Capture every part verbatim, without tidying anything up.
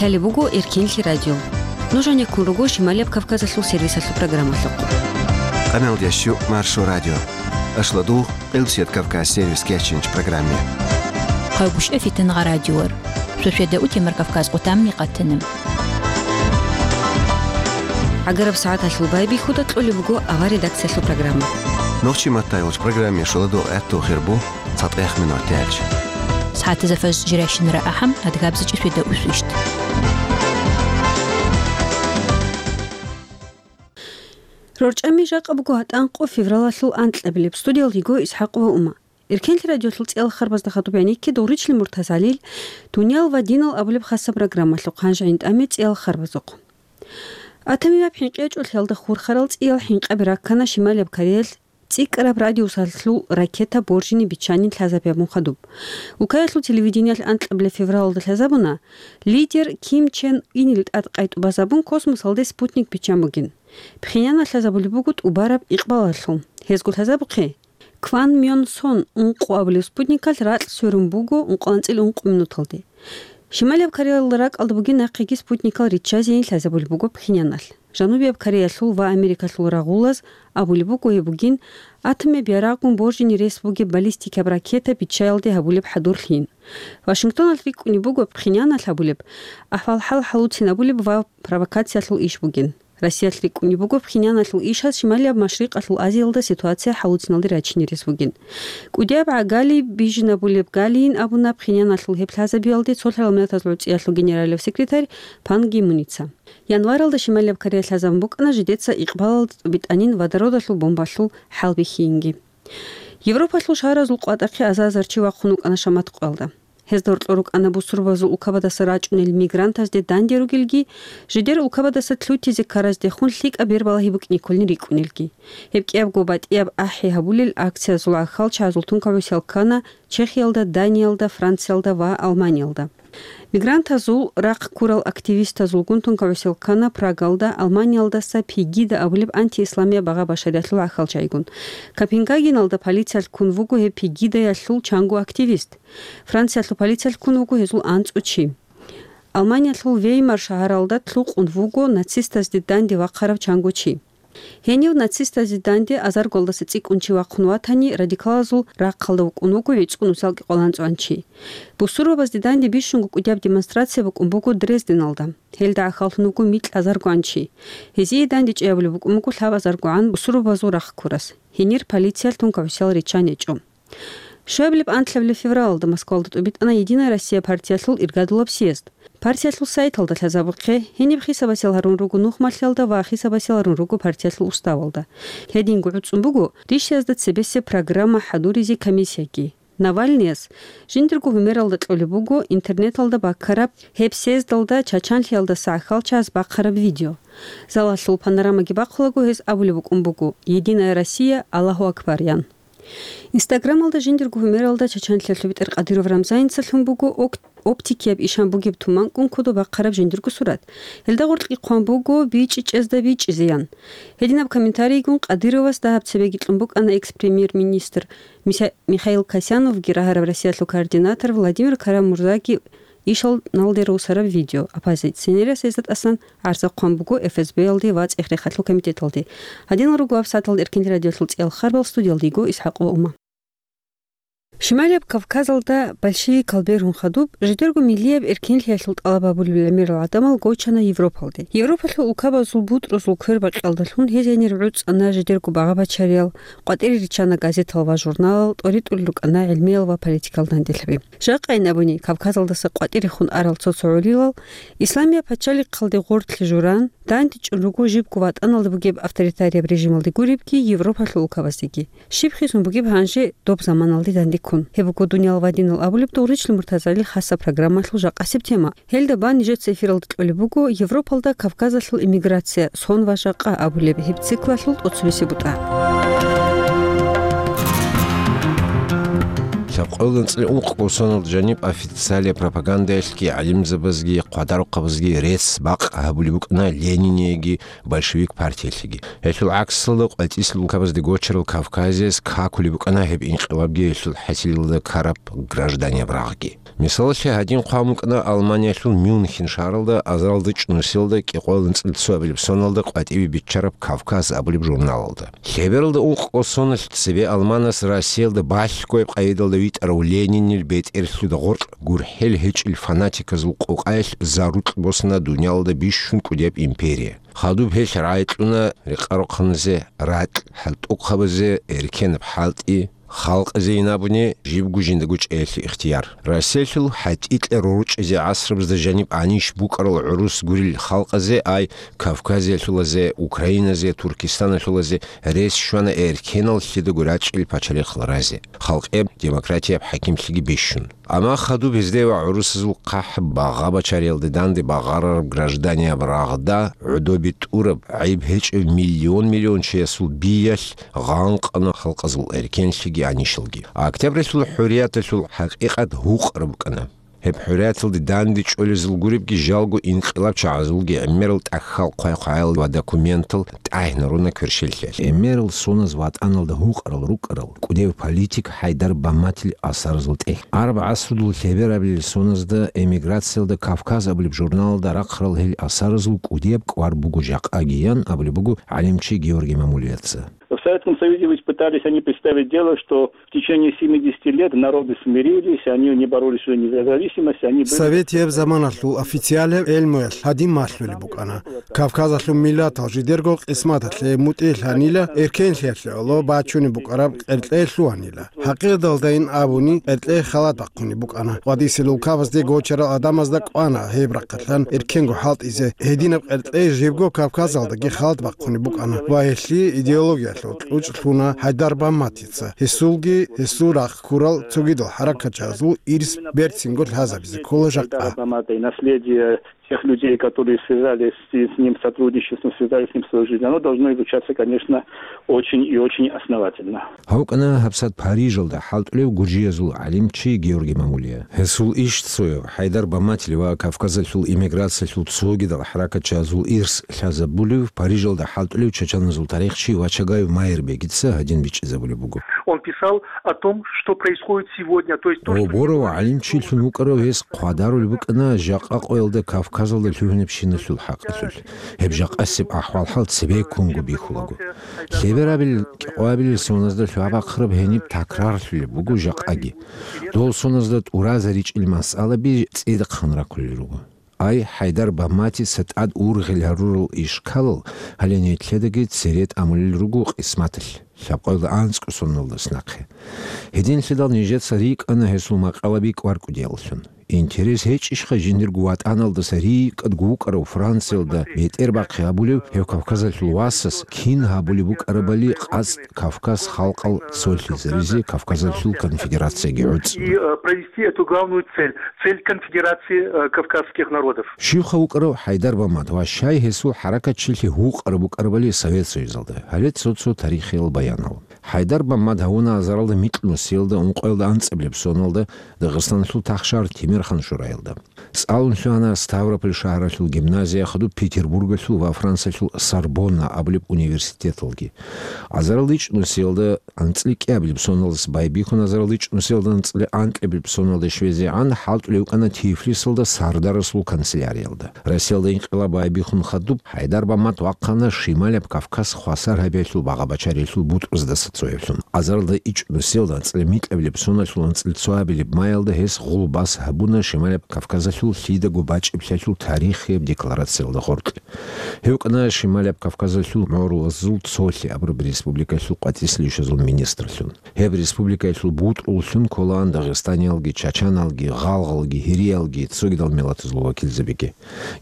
Лъалеб буго Эркенлъи радио. Нуж гьанеккун руго Шималияб Кавказалъул сервисалъул программалъухъ. Къаналдящу Маршо радио. Ашладугъ, Къилбсият Кавказ сервис кечинч программе. Хъайгушев Фитангъа радиор. Шошеда утемар Кавказ къутамни къатана. Агараб сагӀаталъул байбихьуда кьолеб буго авар редакциялъул программа. Нохчи маттайгъуч программе шоладугъ гӀатту хирбу. ЦатӀех минуталъ. СагӀатазда фаж жирайщинара ахӀам, адгабзичӀи сведа усвищт. РорчӀами жакъа буго гьатӀанкъо февралалъул анкьабилеб. Студиялъ йиго ИсхӀакъ ва Ума. Эркенлъи радиолъул цӀиял харбазда хадуб гӀенекке Дугъричлъи Муртазалил «Дуниял ва динал» абулеб хасаб программалъухъ гьанже гӀинтӀаме цӀиял харбазухъ. Атамияб хӀинкъи гьечӀолъиялда хурхарал цӀиял хӀинкъаби раккана Шималияб Кореялъ цӀикӀкӀараб радиусалъул ракета боржине биччанин лъазабиябун хадуб. Улкаялъул телевидениялъ анкьабилеб февралалда лъазабуна, лидер Ким Чен Инил тӀад къайтӀубазабун космосалде спутник биччан бугин. Пхеньяналъ лъазабулеб буго тӀубараб икъбалалъул. Гьезго лъазабухъе, Кван Мён Сон ункъо абулеб спутникалъ ракь сверун буго ункъоанцӀил ункъо минуталде. Шималияб Кореялда ракӀалда бугин нахъеги спутникал риччазейин лъазабулеб буго Пхеньяналъ. Жанубияб Кореялъул ва Америкалъул рагъулаз абулеб буго гьеб бугин атомияб ярагъгун боржине рес бугеб баллистикаб ракета биччаялде гьабулеб хӀадурлъин. Вашингтоналъ рикӀкӀунеб буго Пхеньяналъ гьабулеб ахӀвал-хӀал хӀалуцин абулеб ва провокациялъул иш бугин. Россиялъ рикӀкӀунеб буго Пхеньяналъул ишаз Шималияб Машрикъалъул Азиялда ситуация хӀалуциналде рачине рес бугин. КӀудияб гӀагали бижинабулеб галиин абуна Пхеньяналъул гьеб лъазабиялде цолъарал миллатазул гӀуцӀиялъул генералияб секретарь Пан Ги Муница. Январалда Шималияб Корея лъазабун букӀана жидеца икъбалалда тӀубитӀанин водородалъул бомбалъул хӀалбихьинги. Европалъул шагьаразул къватӀахъе азар-азар чи вахъун вукӀана шаматкъоялда. Гьезда гьоркьор рукӀана бусурбабазул улкабадаса рачӀунел мигрантазде данде ругелги, жидер улкабадаса лъутизе ккараздехун лъикӀаб бербалагьи букӀине кколин рикӀкӀунелги. Гьеб кӀиябго батӀияб ахӀи гьабулел акциязул гӀахьалчагӀазул тункагӀусиял ккана Чехиялда, Даниялда, Франциялда ва Алманиялда. Мигрантазул рахъ ккурал активистазулгун тункагӀусиял ккана Прагалда, Алманиялдаса Пегида абулеб антиисламияб багъа-башариялъул гӀахьалчагӀигун. Копенгагеналда полициялъ ккун вуго гьеб Пегидаялъул чанго активист. Франциялъул полициялъ ккун вуго гьезул анцӀу чи. Алманиялъул Веймар шагьаралда лъукъун вуго нацистазде данде вахъарав чанго чи. Гьенив нацистазе данде азаргоялдаса цӀикӀкӀун чи вахъун ватани, радикалазул рахъалда вукӀун вуго гӀицӀго нусалги къваланцӀван чи. Бусурбабазде данде бищунго кӀудияб демонстрация букӀун буго Дрезденалда. Гьелда гӀахьаллъун вуго микь азаргоан чи. Гьезие данде чӀей абулеб букӀун буго лъабазаргоан бусурбабазул рахъ ккурас. Гьенир полициялъ тункагӀусиял риччан гьечӀо. Щуабилеб анлъабилеб февралалда Москвалда тӀубитӀана «Единая Россия» партиялъул иргадулаб съезд. Партиялъул сайталда лъазабухъе, гьениб хисабасел гьарун руго нухмалъиялда ва хисабасел гьарун руго партиялъул уставалда. Гьединго гӀуцӀун буго ришиязда цебесеб программа хӀадуризе комиссияги. Навальныяс жиндирго гьумералда кьолеб буго интернеталда баккараб гьеб съездалда чачанлъиялдаса гӀахьалчагӀаз бахъараб видео. Залалъул панорамаги бахъулаго гьес абулеб букӀун буго: «Единая Россия, Аллагьу Акбар», – ян. Инстаграмалда жиндирго гьумералда чачанлъиялъул бетӀер Кадыров Рамзаница лъун буго ок-, оптикияб ишан бугеб туманкӀун кодоб бахъараб жиндирго сурат. Гьелда гъоркьги хъван буго: «БичӀчӀизда бичӀчӀизе», – ян. Гьединаб комментарийгун Кадыровас дагьаб цебеги кьун букӀана экс-премьер-министр Миса-, Михаил Касяновги, рагьараб Россиялъул координатор Владимир Карамурзаги ишал налде русараб видео. Оппозиционерас гьезда тӀасан гӀарза хъван буго ФСБ-ялде ва ЦӀехерехалъул комитеталде. Гьадинал руго гьабсагӀаталда Эркенлъи радиолъул цӀиял харбал, студиялда йиго ИсхӀакъ ва Ума. Шималияб Кавказалда большевикал бергьун хадуб, жидерго миллияб эркенлъиялъул тӀалаб гьабулел гӀемерал гӀадамал гочана Европалде. Европалъул улкабазул бутӀрузул квербакъиялдалъун гьез гьенир гӀуцӀана жидерго багъа-бачариял, къватӀире риччана газетал ва журналал, тӀоритӀулел рукӀана гӀилмиял ва политикал данделъаби. Жакъайин абуни, Кавказалдаса къватӀирехун арал цо-цо гӀолилал Исламияб пачалихъалде гъорлъе журан, дандечӀун руго жибго ватӀаналда бугеб авторитарияб режималде гуребги, Европалъул улкабаздеги. Щиб хисун бугеб гьанже доб заманалде дандеккун? Гьеб буго «Дуниял ва динал» абулеб Дугъричлъи Муртазалил хасаб программалъул жакъасеб тема. Гьелда бан нижеца эфиралда кьолеб буго Европалда Кавказалъул эмиграция, сон ва жакъа абулеб гьеб циклалъул тӀоцебесеб бутӀа. Гьаб къоялда анцӀила ункъго соналда жаниб официалияб пропагандаялъги, гӀалимзабазги, хъвадарухъабазги рецц-бакъ гьабулеб букӀана Ленинияги большевик партиялъеги. Гьелъул гӀаксалда, къватӀислъи улкабазде гочарал Кавказияс какулеб букӀана гьеб инкъилабги гьелъул хӀасилалда ккараб гражданияб рагъги. Мисалалъе, гьадин хъван букӀана Алманиялъул Мюнхен шагьаралда азаралда чӀунусиялда кӀикъоялда анцӀила цоабилеб соналда къватӀибе биччараб «Кавказ» абулеб журналалда. Лъебералда ункъго соналъ цебе Алманас Россиялда балъгояб къайдалда витӀарав Ленинил бетӀерлъуда гъоркь гурхӀел гьечӀел фанатиказул къокъаялъ зарукь босана дуниялалда бищун кӀудияб империя. Хадуб гьелъ рагӀи кьуна рекъарухъаназе ракь, хӀалтӀухъабазе эркенаб хӀалтӀи, халкъазе ин абуни, жибго жиндаго чӀеялъе ихтияр. Россиялъул хӀатӀикьа рорчӀизе гӀасрабазда жаниб гьанищ букӀарал гӀурус гурел халкъазе, ай Кавказиялъулазе, Украиназе, Туркистаналъулазе рес щвана эркеналлъидаго рачӀел пачалихъал разе, халкъияб демократияб хӀакимлъиги бищун. Амма хадуб гьезде ва гӀурусазул хъахӀ багъа-бачариялде данде багъарараб гражданияб рагъда гӀодобе тӀураб, гӀайиб гьечӀеб миллион-миллион чиясул биялъ гъанкъана халкъазул эркенлъиги гьанищалги. Октябралъул хӀурияталъул хӀакъикъат гьукъараб букӀана. Гьеб хӀурияталде данде чӀолезул гуребги жалго инкъилабчагӀазулги гӀемерал тӀахьал хъвай-хъваял ва документал тӀагӀинаруна кверщеллъиялъ. ГӀемерал соназ ватӀаналда гьукъарал рукӀарал кӀудияв политик ХӀайдар Баматил асаразул тӀехь. Араб гӀасрудул лъеберабилел соназда эмиграциялда «Кавказ» абулеб журналалда рахъарал гьел асаразул кӀудияб кӀвар буго жакъагиян абулеб буго гӀалимчи Георгий Мамулияца. В Советском Союзе ведь пытались они представить дело, что в течение семидесяти лет народы смирились, они не боролись за независимость, они были... Советияб заманалъул официалияб гӀелмуялъ гьадин малъулеб букӀана: Кавказалъул миллатал жидерго къисматалъе мутӀигӀлъанила, эркенлъиялъе гӀоло бачунеб букӀараб къеркьей лъугьанила. ХӀакъикъаталдайин абуни, къеркьей халат бахъунеб букӀана. КъватӀисел улкабазде гочарал гӀадамазда кӀвана гьеб рахъалъан эркенго хӀалтӀизе. Гьединаб къеркьей жибго Кавказалдаги халат бахъунеб букӀана ва гьелъие идеологиялъул кьучӀ лъуна ХӀайдар Баматица. Гьесулги гьесул рахъ ккурал цогидал хӀаракатчагӀазул ирс берцинго лъазабизе ккола жакъа. Бамата и наследие тех людей, которые связались с, с ним сотрудничеством, связались с ним свою жизнь, оно должно изучаться, конечно, очень и очень основательно. Гьав вукӀана гьабсагӀат Парижалда хӀалтӀулев гуржиязул гӀалимчи Георгий Мамулия. Гьесул иш цояв, ХӀайдар Баматил ва Кавказалъул эмиграциялъул цогидал хӀаракатчагӀазул ирс лъазабулев, Парижалда хӀалтӀулев чачаназул тарихчи Вачагаев Майрбегица гьадин бичӀчӀизабулеб буго. Он писал о том, что происходит сегодня, то есть то, что... Гьоборав гӀалимчилъун вукӀарав гьес хъвадарулеб букӀана жакъа къоялда Кавказалда лъугьинабщиналъул хӀакъалъулъ. Гьеб жакъасеб ахӀвал-хӀал цебеккунго бихьулаго. Лъеберабил кӀикъоябилел соназда лъугьа-бахъараб гьениб такрарлъулеб буго жакъаги. Дол соназда тӀуразаричӀел масъалаби цӀидахъан рахъулел руго. Ай, ХӀайдар Баматица тӀад ургъел гьарурал ишкалал гьале нилъедаги цере тӀамулел руго къисматалъ, лъабкъоялда анцӀго соналдаса нахъе. Гьединлъидал нижеца рикӀкӀана гьесул макъалаби кӀвар кӀудияллъун. Интерес гьечӀищха жиндирго ватӀаналдаса рикӀкӀадго вукӀарав Франциялда бетӀербахъи гьабулев гьев Кавказалъул васас кин гьабулеб букӀарабали къацӀ Кавказ халкъал цолъизаризе Кавказалъул конфедерацияги гӀуцӀ. И, э, провести эту главную цель, цель конфедерации, э, кавказских народов. Щивха вукӀарав ХӀайдар Бамат ва щай гьесул хӀаракатчилъи гьукъараб букӀарабали Совет Союзалда? Гьале цо-цо тарихиял баянал. ХӀайдар Бамат гьавуна азаралда микьнусиялда ункъоялда анцӀабилеб соналда Дагъистаналъул тахшар Тимерхан шураялда. ЦӀалун лъугьана Ставрополь шагьаралъул гимназия, хадуб Петербургалъул ва Франциялъул Сорбонна абулеб университеталги. Азаралда ичӀнусиялда анцӀила кӀиабилеб соналдаса байбихьун азаралда ичӀнусиялда анцӀила анкьабилеб соналда щвезегӀан хӀалтӀулев вукӀана Тифлисалда сардарасул канцеляриялда. Россиялда инкъилаб байбихьун хадуб ХӀайдар Бамат вахъана Шималаб Кавказ хвасар гьабиялъул багъа-бачариялъул бутӀруздаса цояблъун. Азаралда ичӀнусиялда анцӀила микьабилеб соналъул анцӀила цоабилеб маялда гьес гъулбас гьабуна Шималаб Кавказалъул лъидаго бачӀиблъиялъул тарихияб декларациялда гъоркь. Гьев вукӀана Шималаб Кавказалъул гӀурулазул цолъи абураб республикалъул къватӀислъи ишазул министрлъун. Гьеб республикаялъул бутӀруллъун кколаан дагъистаниялги, чачаналги, гъалгъалги, гьириялги, цогидал миллатазул вакилзабиги.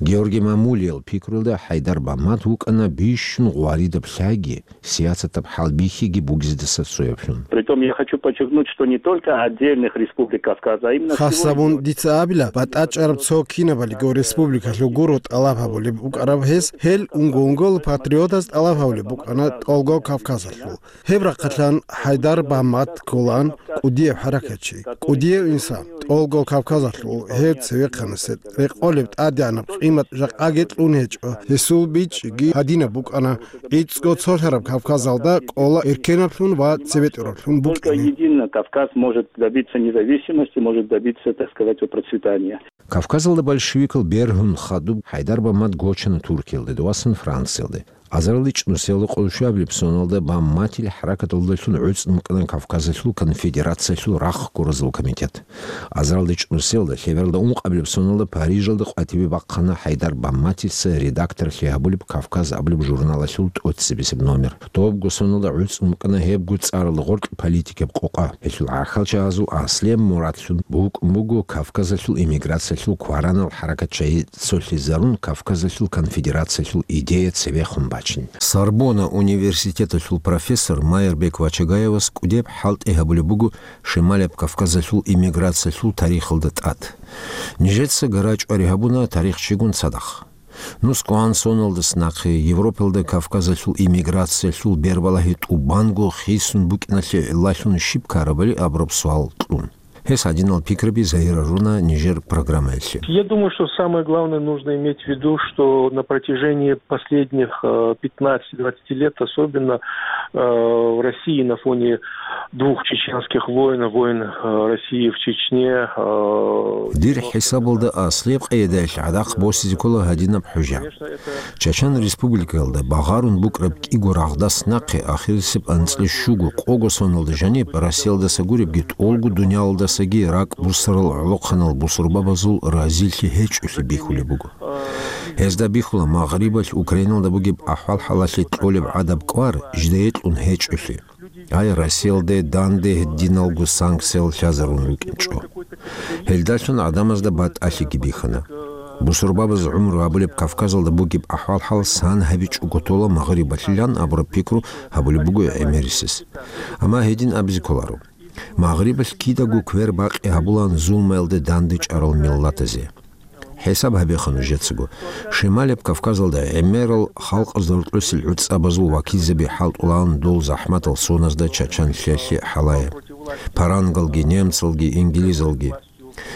Георгий Мамулиял пикруялда ХӀайдар Бамат вукӀана бищун гъваридаб лъаги, сиясатаб хӀалбихьиги бугеб гьезда цояблъун. Притом я хочу подчеркнуть, что не только отдельных республик Кавказа, а именно... Хасабун дица абила, батӀачӀараб цо кинабалиго республикалъул гуро тӀалаб гьабулеб букӀараб гьес, гьел унго-унгола патриотаз тӀалаб гьабулеб букӀана тӀолго Кавказалъул. Гьеб рахъалъан ХӀайдар Бамат кколаан кӀудияв хӀаракатчи, кӀудияв инсан, тӀолго Кавказалъул гьев цевехъанасе рекъолеб тӀадегӀанаб къимат жакъаги кьун гьечӀо, гьесул бичӀчӀиги гьадинаб букӀана, гӀицӀго цолъараб Кавказалда кӀола эркенаблъун ва цебетӀераблъун букӀине. Только едино Кавказ может добиться независимости, может добиться, так сказать, процветания. Кавказалда большевикал бергьун хадуб ХӀайдар Бамат гочана Туркиялде, дов васан Франциялде. Азарилда чӀнусиялда къоло щуабилеб соналда Баматил хӀаракаталдалъун гӀуцӀун букӀана Кавказалъул конфедерациялъул рахъ гуразул комитет. Азарилда чӀнусиялда, лъебералда ункъабилеб соналда Парижалда къватӀибе бахъана ХӀайдар Баматица редакторлъи гьабулеб «Кавказ» абулеб журналалъул тӀоцебесеб номер. Добго соналда гӀуцӀун букӀана гьебго цӀаралда гъоркь политикаб къокъа. Гьелъул гӀахьалчагьазул аслияб мурадлъун букӀун буго Кавказалъул эмиграциялъул кваранал хӀаракатчагьи цолъизарун Кавказалъул конфедерациялъул идея цебехун бачин. Сорбонна университеталъул профессор Майрбек Вачагаевас кӀудеб хӀалтӀи гьабулеб буго Шималияб Кавказалъул эмиграциялъул тарихалда тӀад. Нижеца гара-чӀвари гьабуна тарихчигун цадахъ. Нусгоан соналдас нахъе Европалда Кавказалъул эмиграциялъул бербалагьи тӀубанго хисун букӀиналъе гӀиллалъун щиб ккарабали абураб суал кьун. Гьес гьадинал пикраби загьирлъуна нижер программаялъе. Я думаю, что самое главное нужно иметь в виду, что на протяжении последних, э, пятнадцати-двадцати лет, особенно, э, в России на фоне двух чеченских войн, войн, э, России в Чечне, э, Дир хӀисабалда аслияб къайдаялъ гӀадахъ босизе ккола гьадинаб хӀужа. Чачан республикаялда багъарун букӀараб кӀиго рагъдас нахъе ахирисеб анцӀила щуго-къого соналда жаниб Россиялдаса гуребги тӀолго дуниялалдасаги ракӀ буссарал гӀолохъанал бусурбабазул разилъи гьечӀолъи бихьулеб буго. Гьезда бихьула Магърибалъ Украиналда бугеб ахӀвал-хӀалалъе кьолеб гӀадаб кӀвар жидее кьун гьечӀолъи. Ай, Россиялде данде гьединалго санкциялъ лъазарун рукӀинчӀо. Гьелдалъун гӀадамазда батӀалъиги бихьана. Бусурбабаз гӀумру гьабулеб Кавказалда бугеб ахӀвал-хӀал сан гьабичӀого тола Магърибалъилан абураб пикру гьабулеб буго гӀемерисез. Амма гьедин абизе кколаро. Магърибалъ кидаго квер-бакъи гьабулаан зулмаялде дандечӀарал миллатазе. ХӀисаб гьабеха нужецаго. Шималияб Кавказалда гӀемерал халкъазда гьоркьосел гӀуцӀабазул вакилзаби хӀалтӀулаан дол захӀматал соназда чачанлъиялъе хӀалае. Парангалги, немцалги, инглизалги.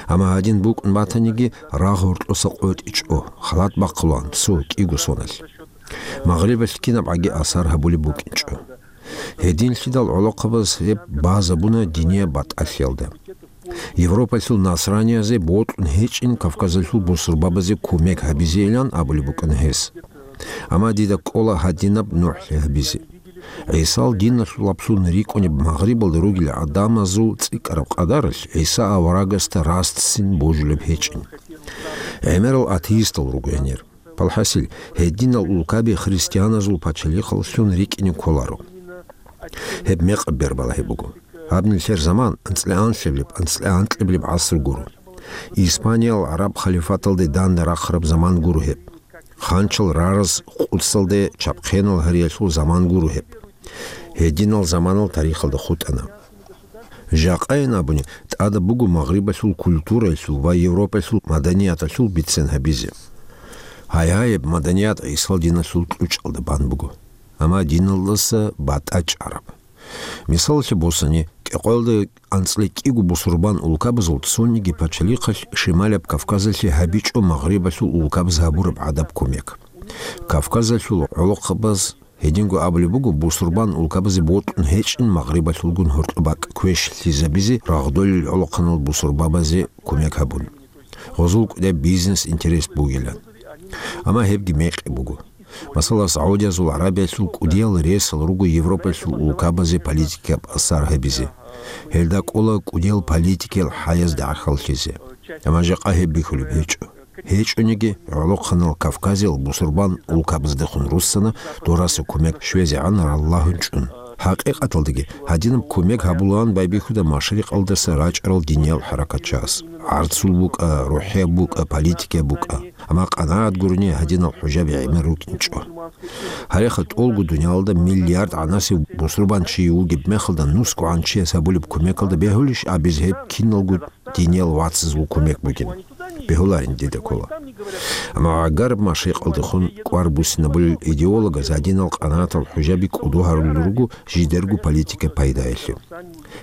Амма гьадин букӀун батаниги, рагъ гьоркьоса къотӀичӀо, халат бахъулаан цо кӀиго соналъ. Магърибалъ кинабгӀаги асар гьабулеб букӀинчӀо. Гьединлъидал гӀолохъабаз гьеб базабуна динияб батӀалъиялда. Европалъул насраниязе бокьун гьечӀин Кавказалъул бусурбабазе кумек гьабизейилан абулеб букӀана гьес. Амма дида кӀола гьадинаб нухӀлъи гьабизе. ГӀисал диналъулаблъун рикӀкӀунеб Магърибалда ругел гӀадамазул цӀикӀкӀараб къадаралъ ГӀиса аварагасда раццин божулеб гьечӀин. ГӀемерал атеистал руго гьенир. Палхасил, гьединал улкаби христианазул пачалихъаллъун рикӀкӀине кколаро. Гьеб мекъаб бербалагьи буго. Гьаб нилъер заман анцӀила анлъабилеб, анцӀила анкьабилеб гӀаср гуро. Испаниял гӀараб халифаталде данде рахъараб заман гуро гьеб. Ханчал рараз къудсалде чапхъенал гьариялъул заман гуро гьеб. Гьединал заманал тарихалда хутӀана. Жакъайин абуни, тӀадаб буго Магърибалъул культураялъул ва Европаялъул маданияталъул бицен гьабизе. Гьайгьайиб, маданият ГӀисал диналъул кьучӀалда бан буго, амма диналдаса батӀа чӀараб. Мисалалъе босани, кӀикъоялда анцӀила кӀиго бусурбан улкабазул цониги пачалихъалъ Шималияб Кавказалъе гьабичӀо Магърибалъул улкабаз гьабураб гӀадаб кумек. Кавказалъул гӀолохъабаз Гьединго абулеб буго, бусурбан улкабазе бокьун гьечӀин Магърибалъулгун гьоркьоб бакӀ квешлъизабизе рагъдолел гӀолохъанал бусурбабазе кумек гьабун, гъозул кӀудияб бизнес-интерес бугилан. Амма гьебги мекъи буго. Масала, Саудиязул Аравиялъул кӀудиял ресал руго Европалъул улкабазе политикаб асар гьабизе. Гьелда кӀола кӀудиял политикиял хӀаязда гӀахьаллъизе. Амма жакъа гьеб бихьулеб гьечӀо. ГьечӀониги, гӀолохъанал Кавказиял бусурбан улкабаздехун руссана дораса кумек щвезегӀан раллагьун чӀун. ХӀакъикъаталдаги, гьадинаб кумек гьабулаан байбихьуда машрикъалдаса рачӀарал диниял хӀаракатчияс. ГӀарцул букӀа, рухӀияб букӀа, политикияб букӀа. Амма къанагӀат гурони гьадинал хӀужаби гӀемер рукӀинчӀо. Гьареха тӀолго дуниялалда миллиард гӀанасев бусурбанчи вугеб мехалда нусгогӀан чияс гьабулеб кумекалда бегьулищ абизе гьеб киналго диниял вацазул кумек бугин? Бегьуларин дида ккола. Амма гӀагараб машрикъалдехун кӀвар буссинабулел идеологаз гьадинал къанагӀатал хӀужаби кӀодо гьарулел руго жидерго политика пайдаялъе.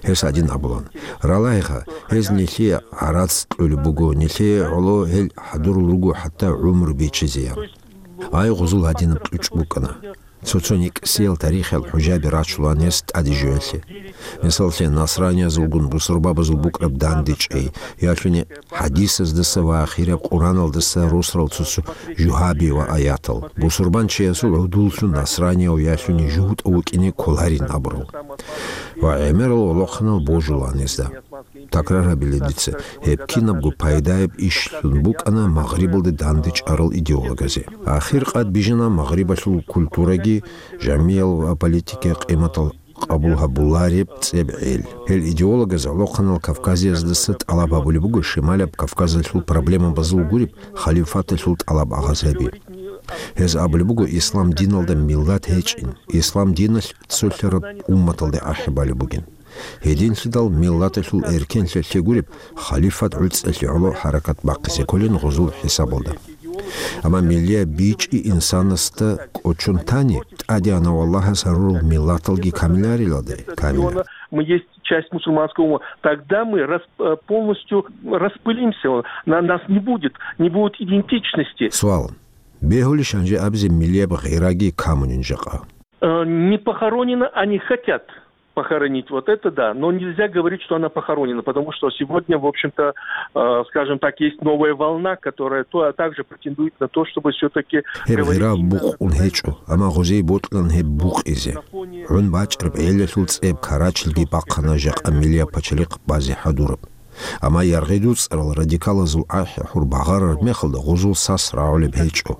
Гьес гьадин абулан: «Ралагьиха, гьез нилъее гӀарац кьолеб буго, нилъее гӀоло гьел хӀадурал руго хӀатта гӀумру бичизе», – ян. Ай, гъузул гьадинаб кьучӀ букӀана. Цо-цо никӀсиял тарихиял хӀужаби рачулаан гьес тӀаде жоялъе. Мисаллъе, насраниязулгун бусурбабазул букӀараб дандечӀей, ялъуни хӀадисаздаса ва ахираб Къураналдаса росарал цо-цо жугьаби ва аятал. Бусурбанчиясул гӀодуллъун насранияв ялъуни жугьутӀав вукӀине кколарин абурал. Ва гӀемерал гӀолохъанал божулаан гьезда. Такрар гьабила дица, гьеб кинабго пайдаяб ишлъун букӀана Магърибалде дандечӀарал идеологазе. Ахир къад бижана Магърибалъул культураги, жамиял ва политикиял къиматал къабул гьабулареб цӀебгӀел. Гьел идеологаз гӀолохъанал Кавказияздаса тӀалаб гьабулеб буго Шималаб Кавказалъул проблемабазул гуреб халифаталъул тӀалаб агъаз гьаби. Гьез абулеб буго ислам диналда миллат гьечӀин, ислам диналъ цолъараб умматалде ахӀи балеб бугин. Гьединлъидал миллаталъул эркенлъиялъе гуреб халифат гӀуцӀалъе гӀоло хӀаракат бахъизе кколин гъузул хӀисабалда. Амма миллияб бичӀчӀи инсанасда кӀочон тани, тӀадегӀанав Аллагьас гьарурал миллаталги камилариладай, камила. Мы есть часть мусульманского умма. Тогда мы рас-, э, полностью распылимся. На-, нас не будет, не будет идентичности. Суал. Бегьулищ гьанже абизе миллияб гъираги камунин жакъа? Э, не похоронено, они хотят похоронить, вот это да, но нельзя говорить, что она похоронена, потому что сегодня, в общем-то, э, скажем так, есть новая волна, которая то, также претендует на то, чтобы все-таки Гьеб говорить гъира именно букъун гьечӀо, амма гъозие бокьилан гьеб букъизе. ГӀун бачӀараб гӀелалъул цӀеб Карачилги бахъана жакъа миллияб пачалихъ базе хӀадураб. Амма яргъи дуцӀарал радикалазул ахӀи-хӀур багъарараб мехалда гъузул сас рагӀулеб гьечӀо.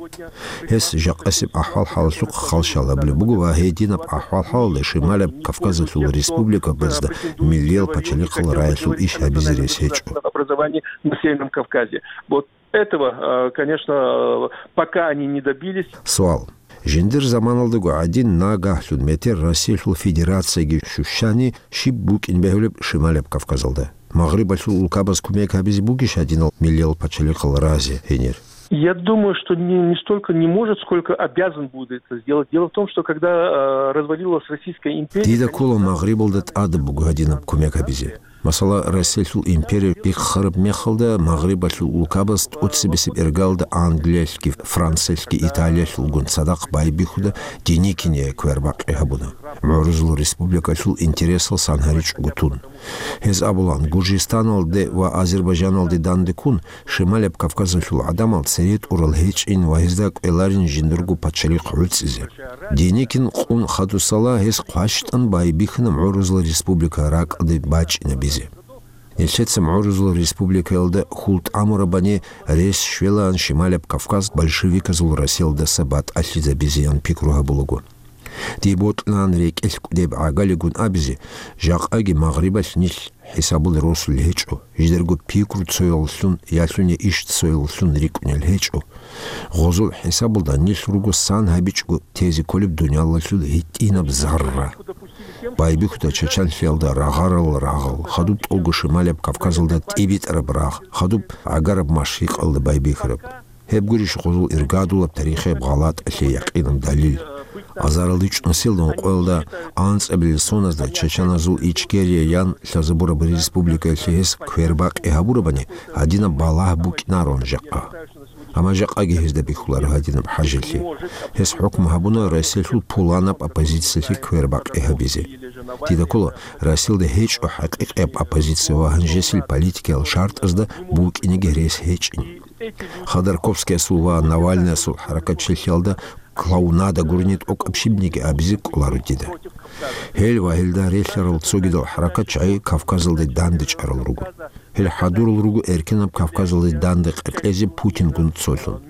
Гьес жакъасеб ахӀвал-хӀалалъухъ халщал гьабулеб буго ва гьединаб ахӀвал-хӀалалда Шималаб Кавказалъул республикабазда миллиял пачалихъал раялъул иш гьабизе рес гьечӀо. Образование на Северном Кавказе. Вот этого, э, конечно, э, пока они не добились. Суал. Жиндир заманалдаго гӀадин нагагьлъун метер Россиялъул Федерацияги щущани щиб букӀин бегьулеб Шималаб Кавказалда? Магърибалъул улкабаз кумек гьабизе бугищ гьадинал миллиял пачалихъал разе гьенир? Я думаю, что не, не столько не может, сколько обязан будет это сделать. Дело в том, что когда, э, развалилась Российская империя, Дида ккола Магърибалда тӀадаб буго гьадинаб кумек гьабизе. Масала, Россиялъул империя бихъараб мехалда, Магърибалъул улкабаз тӀоцебесеб иргалда Англиялъги, Франциялъги, Италиялъулгун цадахъ байбихьуда Деникине квербакъи гьабуна, МугӀрузул республикалъул интересал сан гьаричӀого тун. Гьез абулан, Гуржистаналде ва Азербайжаналде данде ккун, Шималаб Кавказалъул гӀадамал цере тӀурал гьечӀин ва гьезда кӀвеларин жиндирго пачалихъ гӀуцӀизе. Деникин къун хадусала гьес хъващтӀан байбихьана МугӀрузул республика ракӀалде бачӀинабизе. Нилъеца МугӀрузул республикаялда хьул тӀамурабани рес щвелаан Шималаб Кавказ большевиказул Россиялдаса батӀалъизабизеян пикру гьабулаго. Дие бокьилаан рекӀелъ кӀудеб гӀагалигун абизе, жакъаги Магърибалъ нилъ хӀисабулел росулел гьечӀо, жидерго пикру цоялъун, ялъуни иш цоялъун рикӀкӀунел гьечӀо. Гъозул хӀисабалда нилъ руго сан гьабичӀого тезе кколеб дуниялалъул гьитӀинаб зарра. Байбихьуда чачанлъиялда рагъарал рагъал, хадуб тӀолго Шималаб Кавказалда тӀибитӀараб рагъ, хадуб гӀагараб машрикъалда байбихьараб. Гьеб гурищ гъозул иргадулаб тарихияб гъалатӀалъе якъинаб далил. Азаралда чӀунсилда ункъоялда анцӀабилел соназда чачаназул Ичкерия ян лъазабураб республикаялъе гьес квербакъи гьабурабани, гьадинаб балагь букӀинарон жакъа. Амма жакъаги гьезда бихьуларо гьадинаб хӀажалъи. Гьес хӀукму гьабуна Россиялъул пуланаб оппозициялъе квербакъи гьабизе. Дида ккола, Россиялда гьечӀо хӀакъикъияб оппозиция ва гьанжесил политикиял шартӀазда букӀинеги рес гьечӀин. Ходорковскиясул ва Навальныясул хӀаракатчилъиялда клоунада гурони тӀокӀаб щибниги абизе кӀоларо дида. Гьел ва гьелда релълъарал цогидал хӀаракатчагӀи Кавказалде дандечӀарал руго. Гьел хӀадурал руго эркинаб Кавказалде данде къеркьезе Путингун цолъун.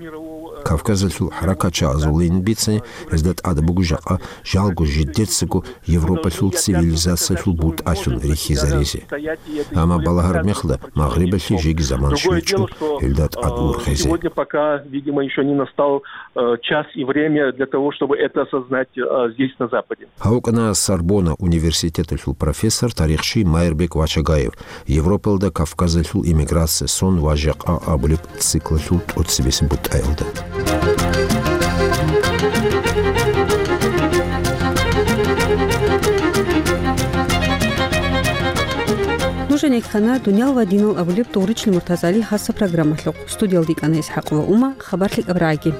Кавказалъул хӀаракатчагӀазулин бицани, гьезда тӀад буго жакъа жалго жидецаго Европалъул цивилизациялъул бутӀалъун рихьизаризе. Амма балагьараб мехалда Магърибалъе жеги заман щвечӀо гьелда тӀад ургъезе. Сегодня пока, видимо, еще не настал э, час и время для того, чтобы это осознать э, здесь, на Западе. Гьав вукӀана Сорбонна университеталъул профессор, тарихчи Майрбек Вачагаев, Европалда Кавказалъул иммиграция сон ва жакъа абулеб циклалъул тӀоцебесеб бутӀаялда. Нужеца ккана «Дуниял ва динал» абулеб Дугъричил МуртазгӀалияб хасаб программалъухъ. Студиялда йикӀана ИсхӀакъова Ума, хабар лъикӀаб рагӀаги.